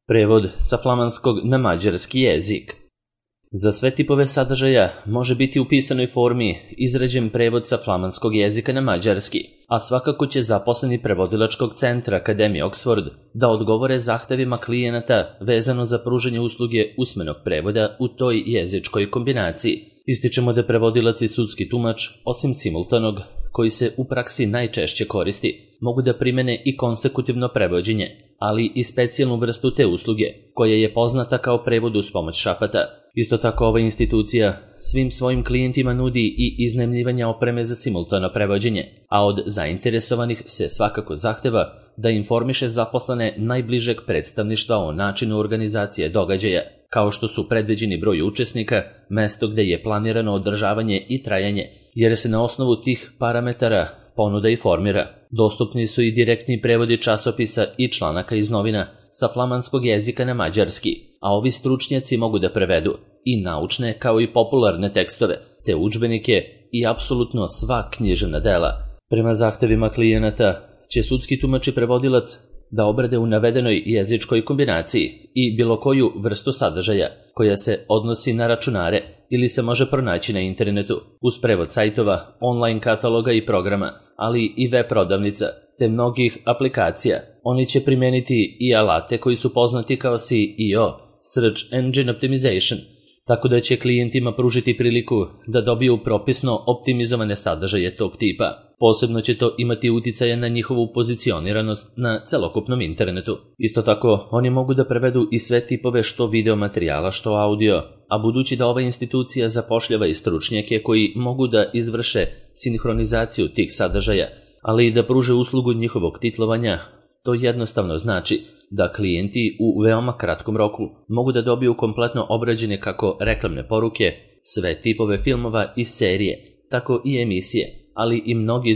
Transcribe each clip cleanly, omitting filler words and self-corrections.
Prevod sa flamanskog na mađarski jezik. Za sve tipove sadržaja može biti u pisanoj formi izrađen prevod sa flamanskog jezika na mađarski, a svakako će zaposleni prevodilačkog centra Akademije Oxford da odgovore zahtevima klijenata vezano za pružanje usluge usmenog prevoda u toj jezičkoj kombinaciji. Ističemo da prevodilac i sudski tumač, osim simultanog, koji se u praksi najčešće koristi, mogu da primene i konsekutivno prevođenje, ali i specijalnu vrstu te usluge, koja je poznata kao prevod uz pomoć šapata. Isto tako ova institucija svim svojim klijentima nudi i iznajmljivanje opreme za simultano prevođenje, a od zainteresovanih se svakako zahteva da informiše zaposlene najbližeg predstavništva o načinu organizacije događaja, kao što su predviđeni broj učesnika, mesto gde je planirano održavanje i trajanje, jer se na osnovu tih parametara ponuda i formira. Dostupni su i direktni prevodi časopisa i članaka iz novina sa flamanskog jezika na mađarski, a ovi stručnjaci mogu da prevedu i naučne kao i popularne tekstove, te udžbenike i apsolutno sva književna dela. Prema zahtevima klijenata će sudski tumač i prevodilac da obrade u navedenoj jezičkoj kombinaciji i bilo koju vrstu sadržaja koja se odnosi na računare ili se može pronaći na internetu uz prevod sajtova, online kataloga i programa, ali i web prodavnica te mnogih aplikacija. Oni će primeniti i alate koji su poznati kao SEO, Search Engine Optimization, tako da će klijentima pružiti priliku da dobiju propisno optimizovane sadržaje tog tipa. Posebno će to imati uticaja na njihovu pozicioniranost na celokupnom internetu. Isto tako, oni mogu da prevedu i sve tipove što video materijala, što audio, a budući da ova institucija zapošljava i stručnjake koji mogu da izvrše sinhronizaciju tih sadržaja, ali i da pruže uslugu njihovog titlovanja, to jednostavno znači da klijenti u veoma kratkom roku mogu da dobiju kompletno obrađene kako reklamne poruke, sve tipove filmova i serije, tako i emisije, ali i mnogi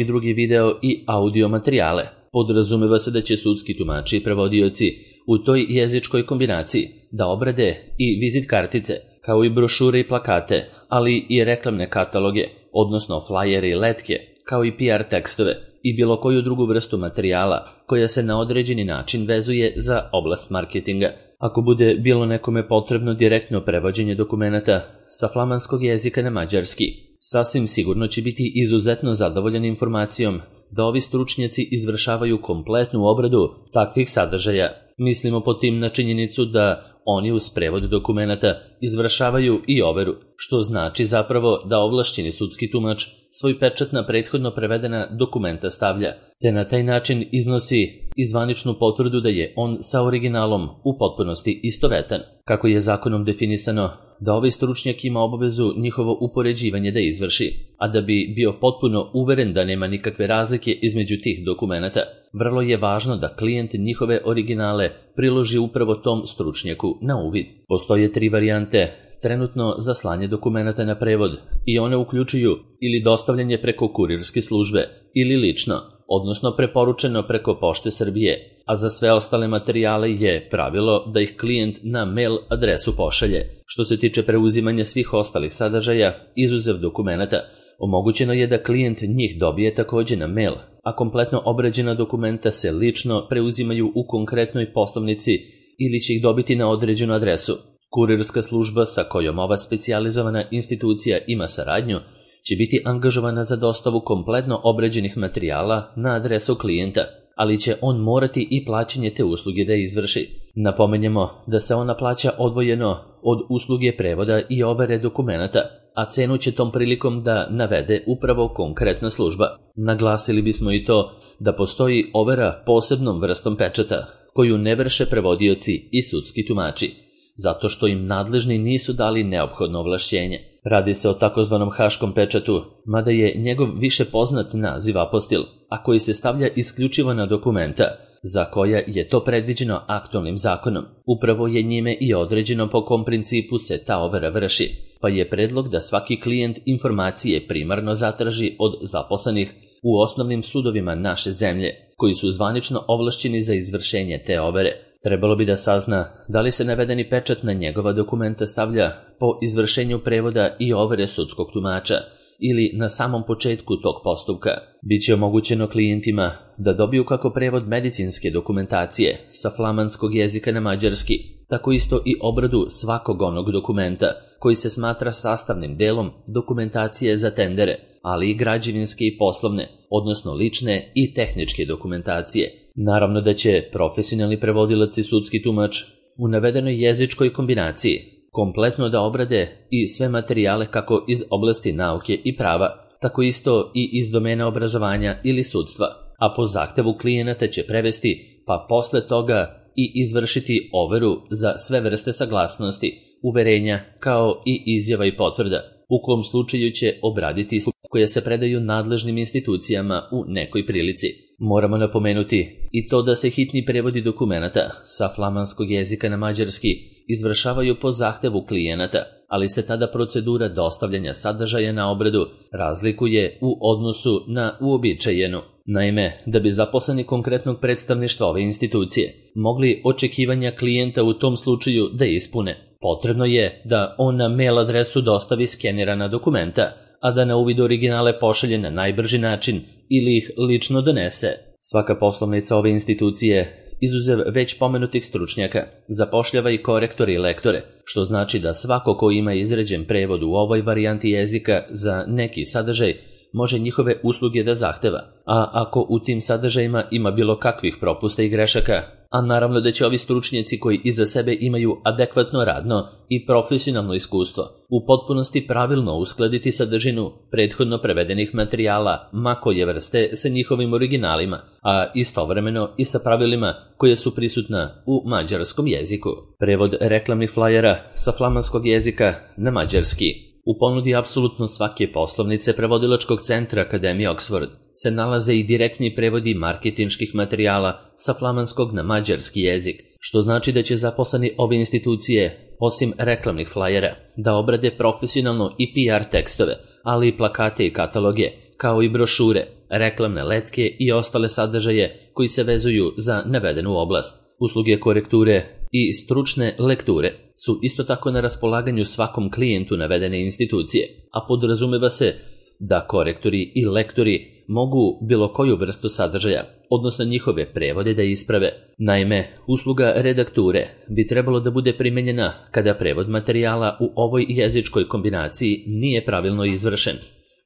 drugi video i audio materijale. Podrazumeva se da će sudski tumači i prevodioci u toj jezičkoj kombinaciji da obrade i vizit kartice, kao i brošure i plakate, ali i reklamne kataloge, odnosno flajere i letke, kao i PR tekstove i bilo koju drugu vrstu materijala koja se na određeni način vezuje za oblast marketinga. Ako bude bilo nekome potrebno direktno prevođenje dokumenata sa flamanskog jezika na mađarski, sasvim sigurno će biti izuzetno zadovoljan informacijom da ovi stručnjaci izvršavaju kompletnu obradu takvih sadržaja. Mislimo po tim na činjenicu da oni uz prevod dokumenata izvršavaju i overu, što znači zapravo da ovlašćeni sudski tumač svoj pečat na prethodno prevedena dokumenta stavlja, te na taj način iznosi i zvaničnu potvrdu da je on sa originalom u potpunosti istovetan. Kako je zakonom definisano da ovaj stručnjak ima obavezu njihovo upoređivanje da izvrši, a da bi bio potpuno uveren da nema nikakve razlike između tih dokumenata, vrlo je važno da klijent njihove originale priloži upravo tom stručnjaku na uvid. Postoje 3 varijante trenutno za slanje dokumenata na prevod i one uključuju ili dostavljanje preko kurirske službe ili lično, odnosno preporučeno preko Pošte Srbije, a za sve ostale materijale je pravilo da ih klijent na mail adresu pošalje. Što se tiče preuzimanja svih ostalih sadržaja, izuzev dokumenata, omogućeno je da klijent njih dobije takođe na mail, a kompletno obrađena dokumenta se lično preuzimaju u konkretnoj poslovnici ili će ih dobiti na određenu adresu. Kurirska služba sa kojom ova specijalizovana institucija ima saradnju će biti angažovana za dostavu kompletno obrađenih materijala na adresu klijenta, ali će on morati i plaćanje te usluge da izvrši. Napomenjemo da se ona plaća odvojeno od usluge prevoda i overe dokumenata, a cenu će tom prilikom da navede upravo konkretna služba. Naglasili bismo i to da postoji overa posebnom vrstom pečata, koju ne vrše prevodioci i sudski tumači, zato što im nadležni nisu dali neophodno ovlašćenje. Radi se o takozvanom haškom pečatu, mada je njegov više poznat naziv apostil, a koji se stavlja isključivo na dokumenta, za koja je to predviđeno aktualnim zakonom. Upravo je njime i određeno po kom principu se ta overa vrši, pa je predlog da svaki klijent informacije primarno zatraži od zaposlenih u osnovnim sudovima naše zemlje, koji su zvanično ovlašćeni za izvršenje te overe. Trebalo bi da sazna da li se navedeni pečat na njegova dokumenta stavlja po izvršenju prevoda i overe sudskog tumača ili na samom početku tog postupka. Biće omogućeno klijentima da dobiju kako prevod medicinske dokumentacije sa flamanskog jezika na mađarski, tako isto i obradu svakog onog dokumenta koji se smatra sastavnim delom dokumentacije za tendere, ali i građevinske i poslovne, odnosno lične i tehničke dokumentacije. Naravno da će profesionalni prevodilac i sudski tumač u navedenoj jezičkoj kombinaciji kompletno da obrade i sve materijale kako iz oblasti nauke i prava, tako isto i iz domena obrazovanja ili sudstva, a po zahtevu klijenata će prevesti, pa posle toga i izvršiti overu za sve vrste saglasnosti, uverenja kao i izjava i potvrda, u kom slučaju će obraditi koje se predaju nadležnim institucijama u nekoj prilici. Moramo napomenuti i to da se hitni prevodi dokumenata sa flamanskog jezika na mađarski izvršavaju po zahtevu klijenata, ali se tada procedura dostavljanja sadržaja na obradu razlikuje u odnosu na uobičajenu. Naime, da bi zaposleni konkretnog predstavništva ove institucije mogli očekivanja klijenta u tom slučaju da ispune, potrebno je da on na mail adresu dostavi skenirana dokumenta, a da na uvid originale pošalje na najbrži način ili ih lično donese. Svaka poslovnica ove institucije, izuzev već pomenutih stručnjaka, zapošljava i korektore i lektore, što znači da svako ko ima izrađen prevod u ovoj varijanti jezika za neki sadržaj može njihove usluge da zahteva, a ako u tim sadržajima ima bilo kakvih propusta i grešaka, a naravno da će ovi stručnjaci koji iza sebe imaju adekvatno radno i profesionalno iskustvo u potpunosti pravilno uskladiti sadržinu prethodno prevedenih materijala ma koje vrste sa njihovim originalima, a istovremeno i sa pravilima koje su prisutna u mađarskom jeziku. Prevod reklamnih flajera sa flamanskog jezika na mađarski. U ponudi apsolutno svake poslovnice prevodilačkog centra Akademije Oxford se nalaze i direktni prevodi marketinških materijala sa flamanskog na mađarski jezik, što znači da će zaposleni ove institucije, osim reklamnih flajera, da obrade profesionalno i PR tekstove, ali i plakate i kataloge, kao i brošure, reklamne letke i ostale sadržaje koji se vezuju za navedenu oblast. Usluge korekture i stručne lekture su isto tako na raspolaganju svakom klijentu navedene institucije, a podrazumeva se da korektori i lektori mogu bilo koju vrstu sadržaja, odnosno njihove prevode da isprave. Naime, usluga redakture bi trebalo da bude primenjena kada prevod materijala u ovoj jezičkoj kombinaciji nije pravilno izvršen,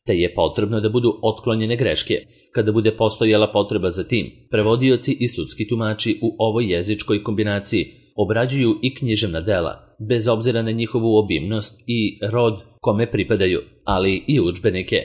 te je potrebno da budu otklonjene greške. Kada bude postojala potreba za tim, prevodioci i sudski tumači u ovoj jezičkoj kombinaciji obrađuju i književna dela, bez obzira na njihovu obimnost i rod kome pripadaju, ali i udžbenike.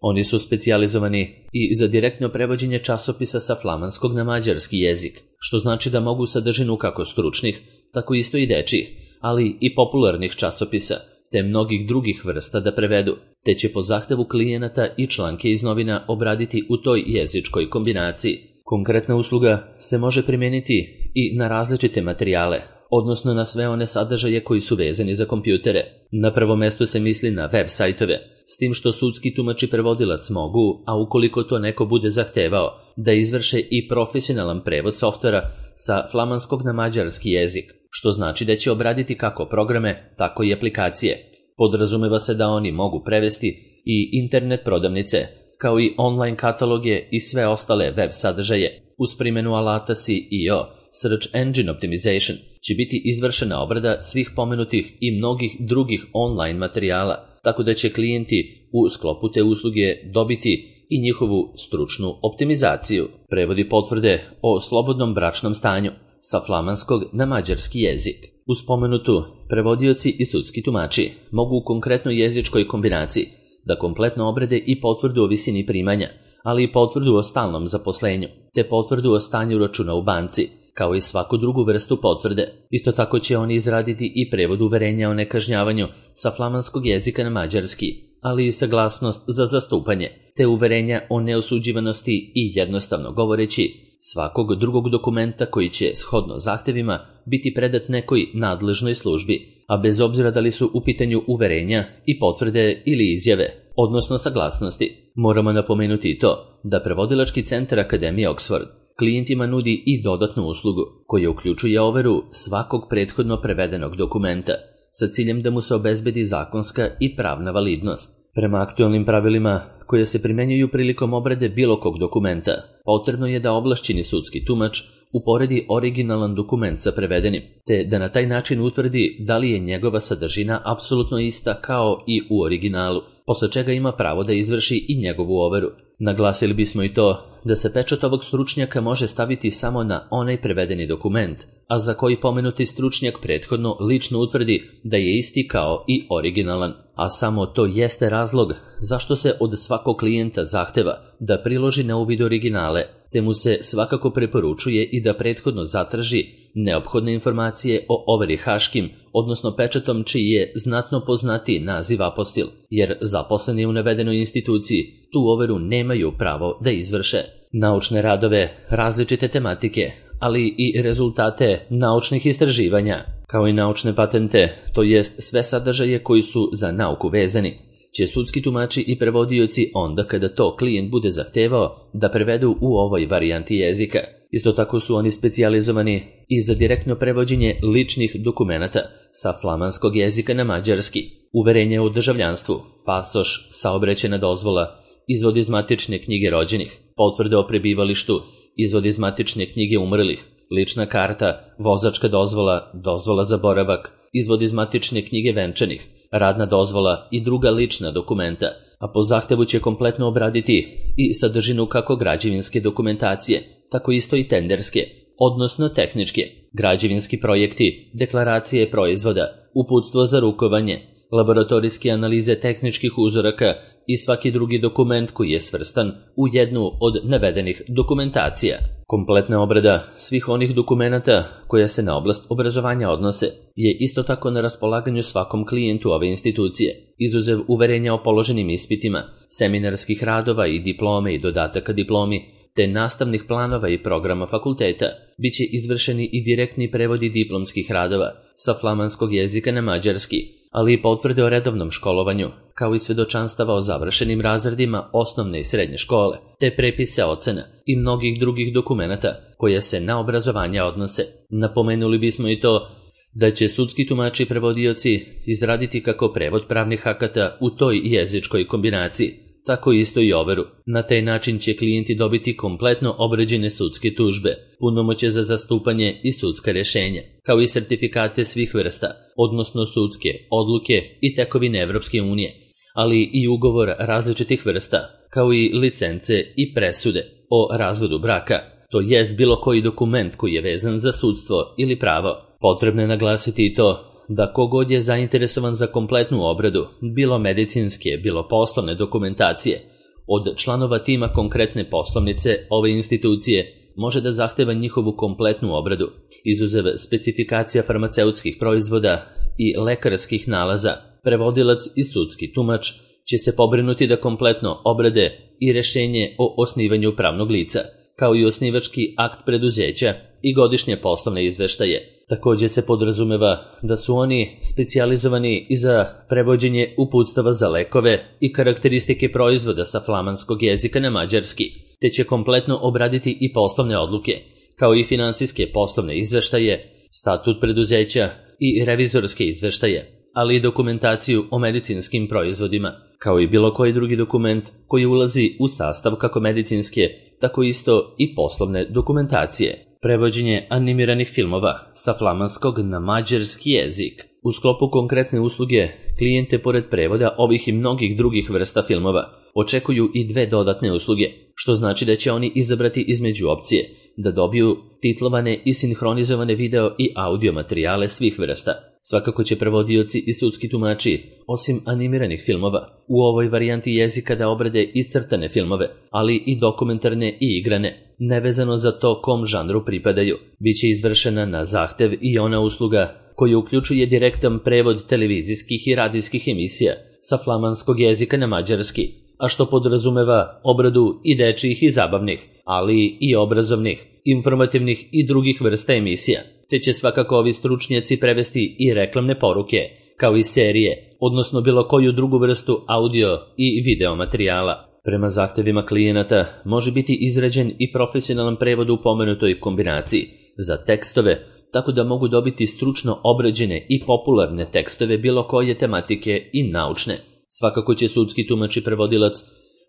Oni su specijalizovani i za direktno prevođenje časopisa sa flamanskog na mađarski jezik, što znači da mogu sadržinu kako stručnih, tako isto i dečjih, ali i popularnih časopisa, te mnogih drugih vrsta da prevedu, te će po zahtevu klijenata i članke iz novina obraditi u toj jezičkoj kombinaciji. Konkretna usluga se može primijeniti i na različite materijale, odnosno na sve one sadržaje koji su vezani za kompjutere. Na prvo mesto se misli na web sajtove, s tim što sudski tumač i prevodilac mogu, a ukoliko to neko bude zahtevao, da izvrše i profesionalan prevod softvera sa flamanskog na mađarski jezik, što znači da će obraditi kako programe, tako i aplikacije. Podrazumeva se da oni mogu prevesti i internet prodavnice, kao i online kataloge i sve ostale web sadržaje. Uz primjenu alata SEO, Search Engine Optimization, će biti izvršena obrada svih pomenutih i mnogih drugih online materijala, tako da će klijenti u sklopu te usluge dobiti i njihovu stručnu optimizaciju. Prevodi potvrde o slobodnom bračnom stanju sa flamanskog na mađarski jezik. Uz pomenutu, prevodioci i sudski tumači mogu u konkretnoj jezičkoj kombinaciji da kompletno obrade i potvrdu o visini primanja, ali i potvrdu o stalnom zaposlenju, te potvrdu o stanju računa u banci, kao i svaku drugu vrstu potvrde. Isto tako će oni izraditi i prevod uverenja o nekažnjavanju sa flamanskog jezika na mađarski, ali i saglasnost za zastupanje, te uverenja o neosuđivanosti i jednostavno govoreći svakog drugog dokumenta koji će, shodno zahtevima, biti predat nekoj nadležnoj službi, a bez obzira da li su u pitanju uverenja i potvrde ili izjave, odnosno saglasnosti. Moramo napomenuti i to da prevodilački centar Akademije Oxford klijentima nudi i dodatnu uslugu koja uključuje overu svakog prethodno prevedenog dokumenta sa ciljem da mu se obezbedi zakonska i pravna validnost. Prema aktualnim pravilima koja se primjenjuju prilikom obrade bilo kog dokumenta, potrebno je da ovlašćeni sudski tumač uporedi originalan dokument sa prevedenim, te da na taj način utvrdi da li je njegova sadržina apsolutno ista kao i u originalu, posle čega ima pravo da izvrši i njegovu overu. Naglasili bismo i to da se pečat ovog stručnjaka može staviti samo na onaj prevedeni dokument, a za koji pomenuti stručnjak prethodno lično utvrdi da je isti kao i originalan, a samo to jeste razlog zašto se od svakog klijenta zahteva da priloži na uvid originale, te mu se svakako preporučuje i da prethodno zatraži neophodne informacije o overi haškim, odnosno pečatom čiji je znatno poznatiji naziv apostil, jer zaposleni u navedenoj instituciji tu overu nemaju pravo da izvrše. Naučne radove, različite tematike, ali i rezultate naučnih istraživanja, kao i naučne patente, to jest sve sadržaje koji su za nauku vezani, će sudski tumači i prevodioci onda kada to klijent bude zahtevao da prevedu u ovoj varijanti jezika. Isto tako su oni specijalizovani i za direktno prevođenje ličnih dokumenata sa flamanskog jezika na mađarski, uverenje o državljanstvu, pasoš, saobraćajna dozvola, izvod iz matične knjige rođenih, potvrde o prebivalištu, izvod iz matične knjige umrlih, lična karta, vozačka dozvola, dozvola za boravak, izvod iz matične knjige venčanih, radna dozvola i druga lična dokumenta, a po zahtevu će kompletno obraditi i sadržinu kako građevinske dokumentacije, tako isto i tenderske, odnosno tehničke, građevinski projekti, deklaracije proizvoda, uputstvo za rukovanje, laboratorijske analize tehničkih uzoraka i svaki drugi dokument koji je svrstan u jednu od navedenih dokumentacija. Kompletna obrada svih onih dokumenata koja se na oblast obrazovanja odnose je isto tako na raspolaganju svakom klijentu ove institucije, izuzev uverenja o položenim ispitima, seminarskih radova i diplome i dodataka diplomi, te nastavnih planova i programa fakulteta, bit će izvršeni i direktni prevodi diplomskih radova sa flamanskog jezika na mađarski, ali i potvrde o redovnom školovanju, kao i svedočanstava o završenim razredima osnovne i srednje škole, te prepise ocena i mnogih drugih dokumenata koje se na obrazovanje odnose. Napomenuli bismo i to da će sudski tumači i prevodioci izraditi kako prevod pravnih akata u toj jezičkoj kombinaciji, tako isto i overu. Na taj način će klijenti dobiti kompletno obrađene sudske tužbe, punomoćje za zastupanje i sudska rješenja, kao i sertifikate svih vrsta, odnosno sudske odluke i tekovine Evropske unije, ali i ugovor različitih vrsta, kao i licence i presude o razvodu braka, to jest bilo koji dokument koji je vezan za sudstvo ili pravo. Potrebno je naglasiti i to da kogod je zainteresovan za kompletnu obradu, bilo medicinske, bilo poslovne dokumentacije, od članova tima konkretne poslovnice ove institucije može da zahteva njihovu kompletnu obradu, izuzev specifikacija farmaceutskih proizvoda i lekarskih nalaza. Prevodilac i sudski tumač će se pobrinuti da kompletno obrade i rješenje o osnivanju pravnog lica, kao i osnivački akt preduzeća i godišnje poslovne izveštaje. Također se podrazumeva da su oni specijalizovani i za prevođenje uputstava za lekove i karakteristike proizvoda sa flamanskog jezika na mađarski, te će kompletno obraditi i poslovne odluke, kao i finansijske poslovne izveštaje, statut preduzeća i revizorske izveštaje, ali i dokumentaciju o medicinskim proizvodima, kao i bilo koji drugi dokument koji ulazi u sastav kako medicinske, tako isto i poslovne dokumentacije. Prevođenje animiranih filmova sa flamanskog na mađarski jezik. U sklopu konkretne usluge, klijente pored prevoda ovih i mnogih drugih vrsta filmova očekuju i dve dodatne usluge, što znači da će oni izabrati između opcije da dobiju titlovane i sinhronizovane video i audio materijale svih vrsta. Svakako će prevodioci i sudski tumači, osim animiranih filmova, u ovoj varijanti jezika da obrade i crtane filmove, ali i dokumentarne i igrane, nevezano za to kom žanru pripadaju. Biće izvršena na zahtev i ona usluga koja uključuje direktan prevod televizijskih i radijskih emisija sa flamanskog jezika na mađarski, a što podrazumeva obradu i dečjih i zabavnih, ali i obrazovnih, informativnih i drugih vrsta emisija, te će svakako ovi stručnjaci prevesti i reklamne poruke, kao i serije, odnosno bilo koju drugu vrstu audio i video materijala. Prema zahtevima klijenata može biti izrađen i profesionalan prevod u pomenutoj kombinaciji za tekstove, tako da mogu dobiti stručno obrađene i popularne tekstove bilo koje tematike i naučne. Svakako će sudski tumač i prevodilac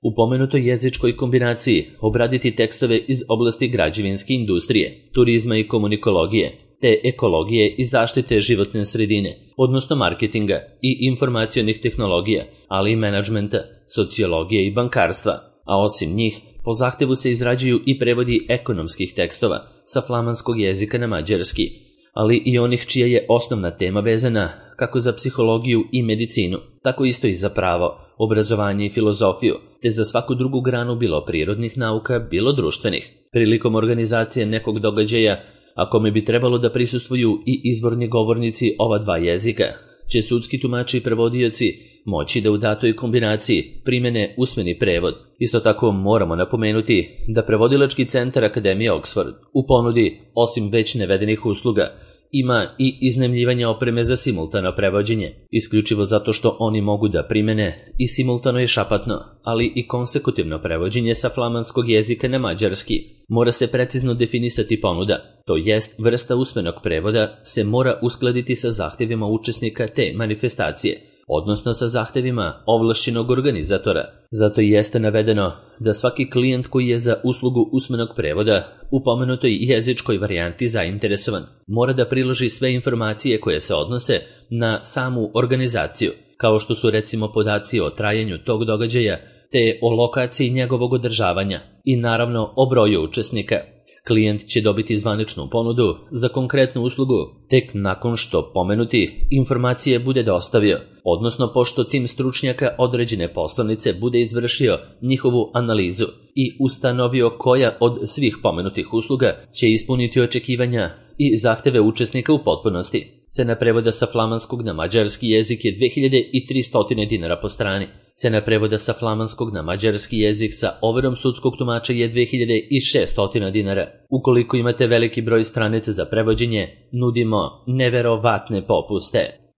u pomenutoj jezičkoj kombinaciji obraditi tekstove iz oblasti građevinske industrije, turizma i komunikologije, te ekologije i zaštite životne sredine, odnosno marketinga i informacionih tehnologija, ali i menadžmenta, sociologije i bankarstva, a osim njih, po zahtevu se izrađuju i prevodi ekonomskih tekstova sa flamanskog jezika na mađarski, ali i onih čija je osnovna tema vezana kako za psihologiju i medicinu, tako isto i za pravo, obrazovanje i filozofiju, te za svaku drugu granu bilo prirodnih nauka, bilo društvenih. Prilikom organizacije nekog događaja, a kome bi trebalo da prisustvuju i izvorni govornici ova dva jezika, će sudski tumači i prevodioci moći da u datoj kombinaciji primene usmeni prevod. Isto tako moramo napomenuti da prevodilački centar Akademije Oxford u ponudi, osim već navedenih usluga, ima i iznajmljivanje opreme za simultano prevođenje, isključivo zato što oni mogu da primene i simultano i šapatno, ali i konsekutivno prevođenje sa flamanskog jezika na mađarski. Mora se precizno definisati ponuda, to jest vrsta usmenog prevoda se mora uskladiti sa zahtevima učesnika te manifestacije, odnosno sa zahtevima ovlašćenog organizatora. Zato i jeste navedeno da svaki klijent koji je za uslugu usmenog prevoda u pomenutoj jezičkoj varijanti zainteresovan, mora da priloži sve informacije koje se odnose na samu organizaciju, kao što su recimo podaci o trajanju tog događaja, te o lokaciji njegovog održavanja i naravno o broju učesnika. Klijent će dobiti zvaničnu ponudu za konkretnu uslugu tek nakon što pomenuti informacije bude dostavio, odnosno pošto tim stručnjaka određene poslanice bude izvršio njihovu analizu i ustanovio koja od svih pomenutih usluga će ispuniti očekivanja i zahteve učesnika u potpunosti. Cena prevoda sa flamanskog na mađarski jezik je 2300 dinara po strani. Cena prevoda sa flamanskog na mađarski jezik sa overom sudskog tumača je 2600 dinara. Ukoliko imate veliki broj stranica za prevođenje, nudimo neverovatne popuste.